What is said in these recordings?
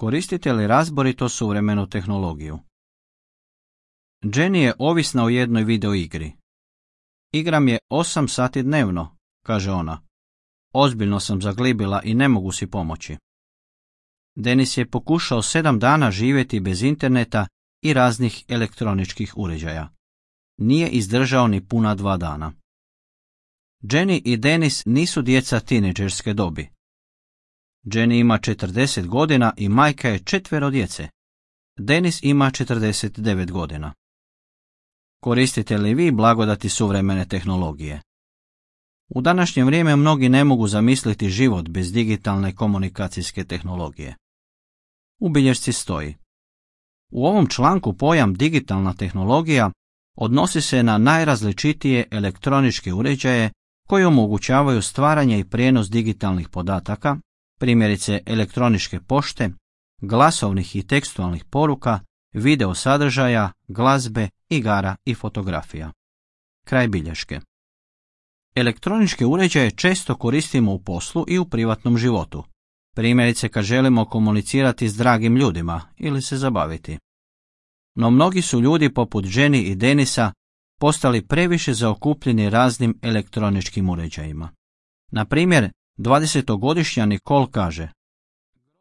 Koristite li razborito suvremenu tehnologiju? Jenny je ovisna o jednoj videoigri. Igram je 8 sati dnevno, kaže ona. Ozbiljno sam zaglibila i ne mogu si pomoći. Denis je pokušao 7 dana živjeti bez interneta i raznih elektroničkih uređaja. Nije izdržao ni puna 2 dana. Jenny i Denis nisu djeca tinejdžerske dobi. Jenny ima 40 godina i majka je 4 djece. Denis ima 49 godina. Koristite li vi blagodati suvremene tehnologije? U današnje vrijeme mnogi ne mogu zamisliti život bez digitalne komunikacijske tehnologije. U bilješci stoji: u ovom članku pojam digitalna tehnologija odnosi se na najrazličitije elektroničke uređaje koji omogućavaju stvaranje i prijenos digitalnih podataka, primjerice elektroničke pošte, glasovnih i tekstualnih poruka, video sadržaja, glazbe, igara i fotografija. Kraj bilješke. Elektroničke uređaje često koristimo u poslu i u privatnom životu, primjerice kad želimo komunicirati s dragim ljudima ili se zabaviti. No mnogi su ljudi poput Jenny i Denisa postali previše zaokupljeni raznim elektroničkim uređajima. Na primjer, 20-godišnja Nicole kaže: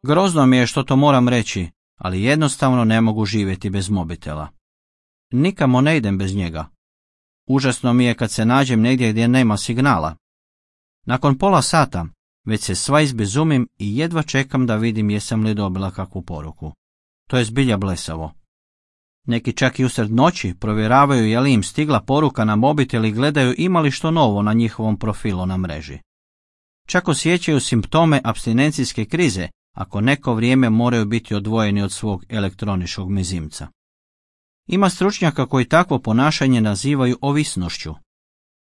grozno mi je što to moram reći, ali jednostavno ne mogu živjeti bez mobitela. Nikamo ne idem bez njega. Užasno mi je kad se nađem negdje gdje nema signala. Nakon pola sata već se sva izbezumim i jedva čekam da vidim jesam li dobila kakvu poruku. To je zbilja blesavo. Neki čak i usred noći provjeravaju je li im stigla poruka na mobitel i gledaju ima li što novo na njihovom profilu na mreži. Čak osjećaju simptome apstinencijske krize ako neko vrijeme moraju biti odvojeni od svog elektroničkog mezimca. Ima stručnjaka koji takvo ponašanje nazivaju ovisnošću.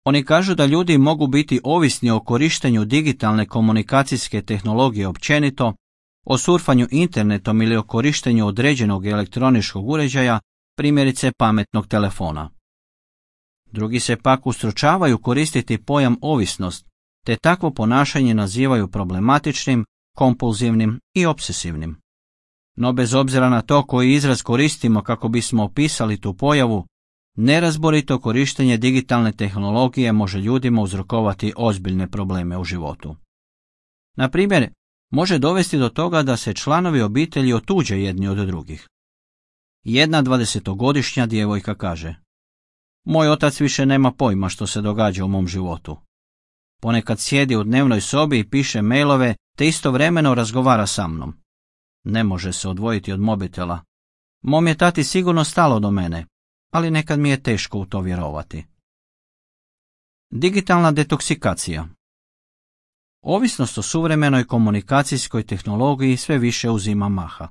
Oni kažu da ljudi mogu biti ovisni o korištenju digitalne komunikacijske tehnologije općenito, o surfanju internetom ili o korištenju određenog elektroničkog uređaja, primjerice pametnog telefona. Drugi se pak ustručavaju koristiti pojam ovisnost, te takvo ponašanje nazivaju problematičnim, kompulzivnim i obsesivnim. No bez obzira na to koji izraz koristimo kako bismo opisali tu pojavu, nerazborito korištenje digitalne tehnologije može ljudima uzrokovati ozbiljne probleme u životu. Na primjer, može dovesti do toga da se članovi obitelji otuđe jedni od drugih. Jedna 20-godišnja djevojka kaže: moj otac više nema pojma što se događa u mom životu. Ponekad sjedi u dnevnoj sobi i piše mailove te istovremeno razgovara sa mnom. Ne može se odvojiti od mobitela. Mom je tati sigurno stalo do mene, ali nekad mi je teško u to vjerovati. Digitalna detoksikacija. Ovisnost o suvremenoj komunikacijskoj tehnologiji sve više uzima maha.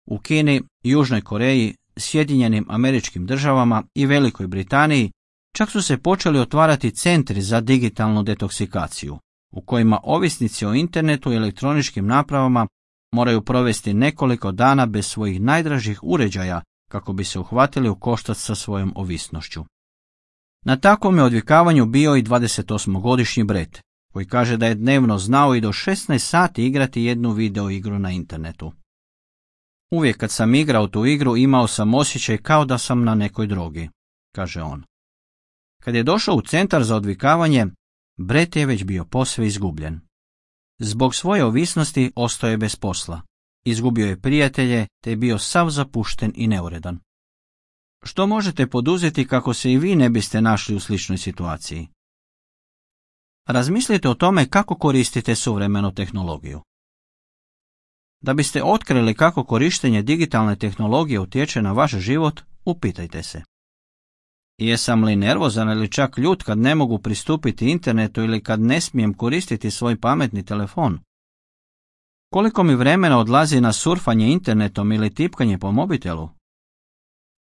U Kini, Južnoj Koreji, Sjedinjenim Američkim Državama i Velikoj Britaniji čak su se počeli otvarati centri za digitalnu detoksikaciju, u kojima ovisnici o internetu i elektroničkim napravama moraju provesti nekoliko dana bez svojih najdražih uređaja kako bi se uhvatili u koštac sa svojom ovisnošću. Na takvom je odvikavanju bio i 28-godišnji Brett, koji kaže da je dnevno znao i do 16 sati igrati jednu video igru na internetu. Uvijek kad sam igrao tu igru imao sam osjećaj kao da sam na nekoj drogi, kaže on. Kad je došao u centar za odvikavanje, Brett je već bio posve izgubljen. Zbog svoje ovisnosti ostao je bez posla, izgubio je prijatelje te je bio sav zapušten i neuredan. Što možete poduzeti kako se i vi ne biste našli u sličnoj situaciji? Razmislite o tome kako koristite suvremenu tehnologiju. Da biste otkrili kako korištenje digitalne tehnologije utječe na vaš život, upitajte se: jesam li nervozan ili čak ljut kad ne mogu pristupiti internetu ili kad ne smijem koristiti svoj pametni telefon? Koliko mi vremena odlazi na surfanje internetom ili tipkanje po mobitelu?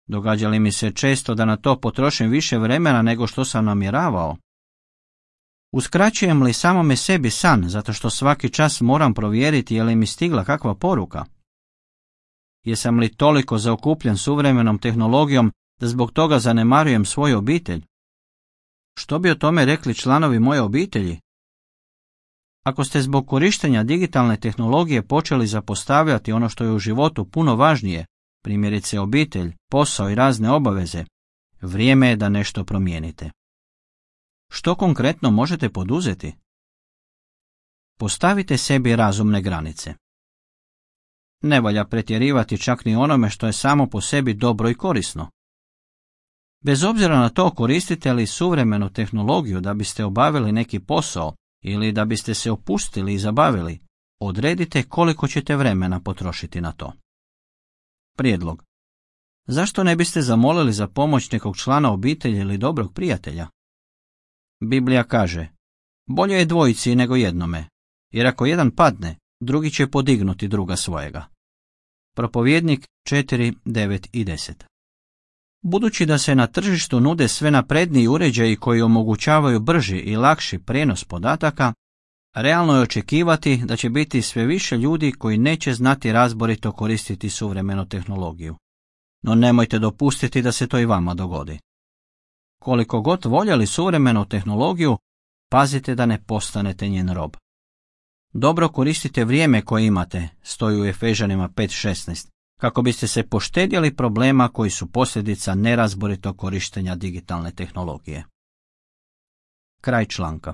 Događa li mi se često da na to potrošim više vremena nego što sam namjeravao? Uskraćujem li samome sebi san zato što svaki čas moram provjeriti je li mi stigla kakva poruka? Jesam li toliko zaokupljen suvremenom tehnologijom da zbog toga zanemarujem svoju obitelj? Što bi o tome rekli članovi moje obitelji? Ako ste zbog korištenja digitalne tehnologije počeli zapostavljati ono što je u životu puno važnije, primjerice obitelj, posao i razne obaveze, vrijeme je da nešto promijenite. Što konkretno možete poduzeti? Postavite sebi razumne granice. Ne valja pretjerivati čak ni onome što je samo po sebi dobro i korisno. Bez obzira na to koristite li suvremenu tehnologiju da biste obavili neki posao ili da biste se opustili i zabavili, odredite koliko ćete vremena potrošiti na to. Prijedlog. Zašto ne biste zamolili za pomoć nekog člana obitelji ili dobrog prijatelja? Biblija kaže, bolje je dvojici nego jednome, jer ako jedan padne, drugi će podignuti druga svojega. Propovjednik 4, 9 i 10. Budući da se na tržištu nude sve napredniji uređaji koji omogućavaju brži i lakši prijenos podataka, realno je očekivati da će biti sve više ljudi koji neće znati razborito koristiti suvremenu tehnologiju. No nemojte dopustiti da se to i vama dogodi. Koliko god voljeli suvremenu tehnologiju, pazite da ne postanete njen rob. Dobro koristite vrijeme koje imate, stoji u Efežanima 5.16, kako biste se poštedjeli problema koji su posljedica nerazboritog korištenja digitalne tehnologije. Kraj članka.